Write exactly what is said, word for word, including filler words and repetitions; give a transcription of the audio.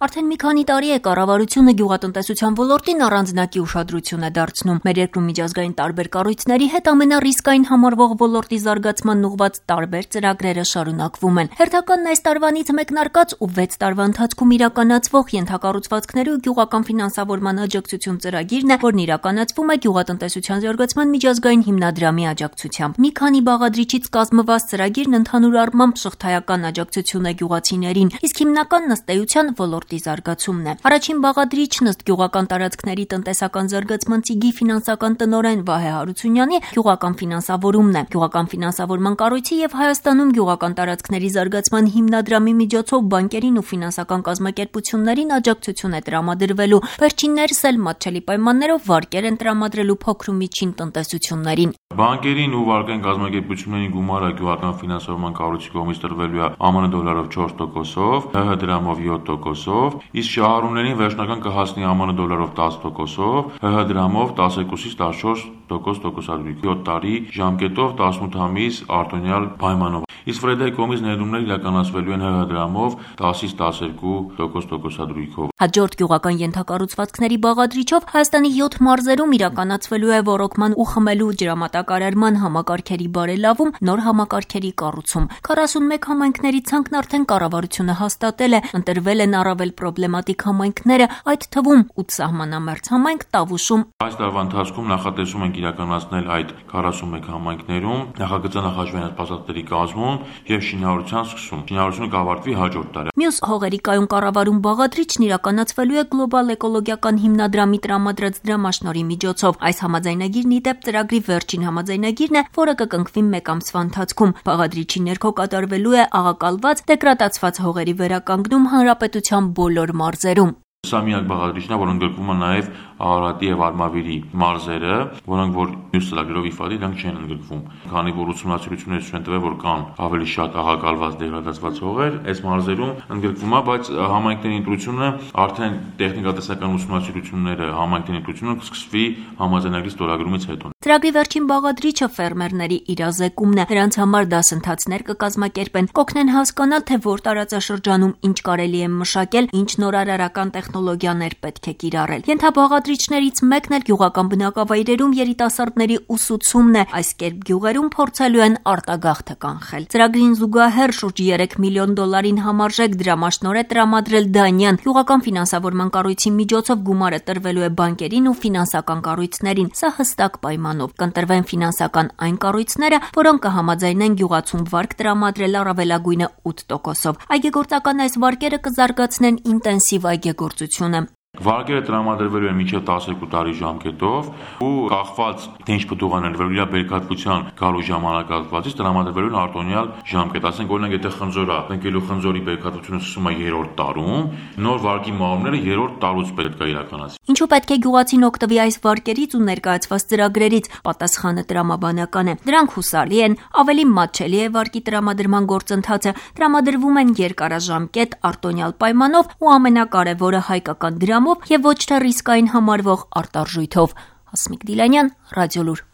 Արդեն մի քանի տարի է կառավարությունը գյուղատնտեսության ոլորտին առանձնակի ուշադրություն է դարձնում։ Մեր երկրում միջազգային տարբեր կառույցների հետ ամենառիսկային համարվող ոլորտի զարգացման ուղղված տարբեր ծրագրերը շարունակվում են։ Հերթականն այս տարվանից մեկնարկած ու վեց տարվա ընթացքում իրականացվող ենթակառուցվածքների ու գյուղական ֆինանսավորման աջակցություն ծրագիրն է, որն իրականացվում է գյուղատնտեսության զարգացման միջազգային հիմնադրամի աջակցությամբ։ Մի քանի բաղադրիչից կազմված ծրագիրն ընդհանուր առմամբ շղթայական աջակցություն է գյուղացիներին, իսկ հիմնականն ըստ էության ոլորտի զարգացումն է։ Առաջին բաղադրիչն ըստ գյուղական տարածքների տնտեսական զարգացման ծիգի ֆինանսական տնօրեն Վահե Հարությունյանի գյուղական ֆինանսավորումն է։ Գյուղական ֆինանսավորման կառույցի եւ Հայաստանում գյուղական տարածքների զարգացման հիմնադրամի միջոցով բանկերին ու ֆինանսական կազմակերպություններին աջակցություն է տրամադրվելու։ Վերջիններս էլ մատչելի պայմաններով վարկեր են տրամադրելու փոքր ու միջին տնտեսություններին։ Բանկերին ու վարկային կազմակերպություններին գումարը գյուղական ֆինանսավորման կառույցի կողմից տրվելու է ԱՄՆ դոլարով չորս տոկոսով, ՀՀ դրամով յոթ տոկոսով, իսկ շահառուներին վերջնական կհասնի ԱՄՆ դոլարով տասը տոկոսով, ՀՀ դրամով տասնյոթից տասնչորս տոկոս տոկոսադրույք, յոթ տարի ժամկետով տասնութ ամիս արտոնյալ պայմանով։ Իսկ Ֆրեդայի կողմից ներդրումներ իրականացվելու են ՀՀ դրամով տասից տասներկու տոկոս տոկոսադրույքով։ Հաջորդ գյուղական ենթակառուցվածքների բաղադրիչով Հայաստանի յոթ մարզերում իրականացվելու է ոռոգման ու խմելու ջրամատակարարման համակարգերի բարելավում, նոր համակարգերի կառուցում։ քառասունմեկ համայնքների ցանկն արդեն կառավարությունը հաստատել է, ընտրվել են առավել պրոբլեմատիկ համայնքները, այդ թվում ութ սահմանամերձ համայնք Տավուշում։ Այս տարվա ընթացքում նախատեսում ենք իրականացնել այդ քառասունմեկ համայնքներում նախագծանախաշվային ասպասատների կազմում եւ շինարարության սկսում։ Շինարարությունը կավարտվի հաջորդ տարի։ Մյուս հողերի կայուն կառավարում բաղադրիչն իրականացվելու է գլոբալ էկոլոգիական հիմնադրամի տրամադրած դրամաշնորհի միջոցով։ Այս համաձայնագիրն ի դեպ ծրագրի վերջին համաձայնագիրն է, որը կկնքվի մեկ ամսվա ընթացքում։ Բաղադրիչի ներքո կատարվելու է աղակալված դեգրադացված հողերի վերականգնում հանրապետության բոլոր մարզերում։ Սա միակ բաղադրիչն է, որ ընդգրկվում է նաև Արարատի եւ Արմավիրի մարզերը, որոնք որ մյուս ծրագրերով իֆադի դրանք չեն ընդգրկվում։ Քանի որ ուսումնասիրություններ ցույց են տվել, որ կան ավելի շատ աղակալված դեգրադացված հողեր, այս մարզերում ընդգրկվում է, բայց համայնքների ընտրությունը արդեն տեխնիկատեսական ուսումնասիրությունները համայնքների ընտրությունը կսկսվի համաձայնագրի ստորագրումից հետո։ Ծրագրի վերջին բաղադրիչը ֆերմերների իրազեկումն է։ Նրանց համար դասընթացներ կկազմակերպեն, կօգնեն հասկանալ, թե որ տարածաշրջանում ինչ կարելի է մշակել, ինչ նորարարական տեխնոլոգիաներ պետք է կիրառել։ Ենթաբաղադրիչներից մեկն էլ գյուղական բնակավայրերում երիտասարդների ուսուցումն է։ Այս կերպ գյուղերում փորձելու են արտագաղթը կանխել։ Ծրագրին զուգահեռ շուրջ երեք միլիոն դոլարին համարժեք դրամաշնորհ է տրամադրել Դանյան։ Գյուղական ֆինանսավորման կառույցի միջոցով գումարը տրվելու է բանկերին ու ֆինանսական կառույցներին։ Սա հստակ պայմանով կընտրվեն ֆինանսական այն կառույցները, որոնք կհամաձայնեն գյուղացում վարկ տրամադրել առավելագույնը ութ տոկոսով։ Այգեգործական այս վարկերը կզարգացնեն ինտենսիվ այգեգործությունը։ Վարկերը տրամադրվելու են մինչև տասներկու տարի ժամկետով ու կախված թե ինչ պտուղաներ վերել իր բերքատվության գալու ժամանակահատվածից տրամադրվելու են արտոնյալ ժամկետ։ Ասենք օրինակ եթե խնձոր է, ընկելու խնձորի բերքատվությունը սկսում է երրորդ տարում, նոր վարկի մահումները երրորդ տարուց պետք է իրականացվի։ Ինչու պետք է գյուղացին օգտվի այս վարկերից ու ներկայացված ծրագրերից։ Պատասխանը տրամաբանական է։ Դրանք հուսալի են, ավելի մատչելի է վարկի տրամադրման գործընթացը, տրամադրվում են երկարաժամկետ արտոնյալ պայմանով ու ամենակարևորը հայկական դրամ եւ ոչ թե ռիսկային համարվող արտարժույթով։ Հասմիկ Դիլանյան, Ռադիոլուր։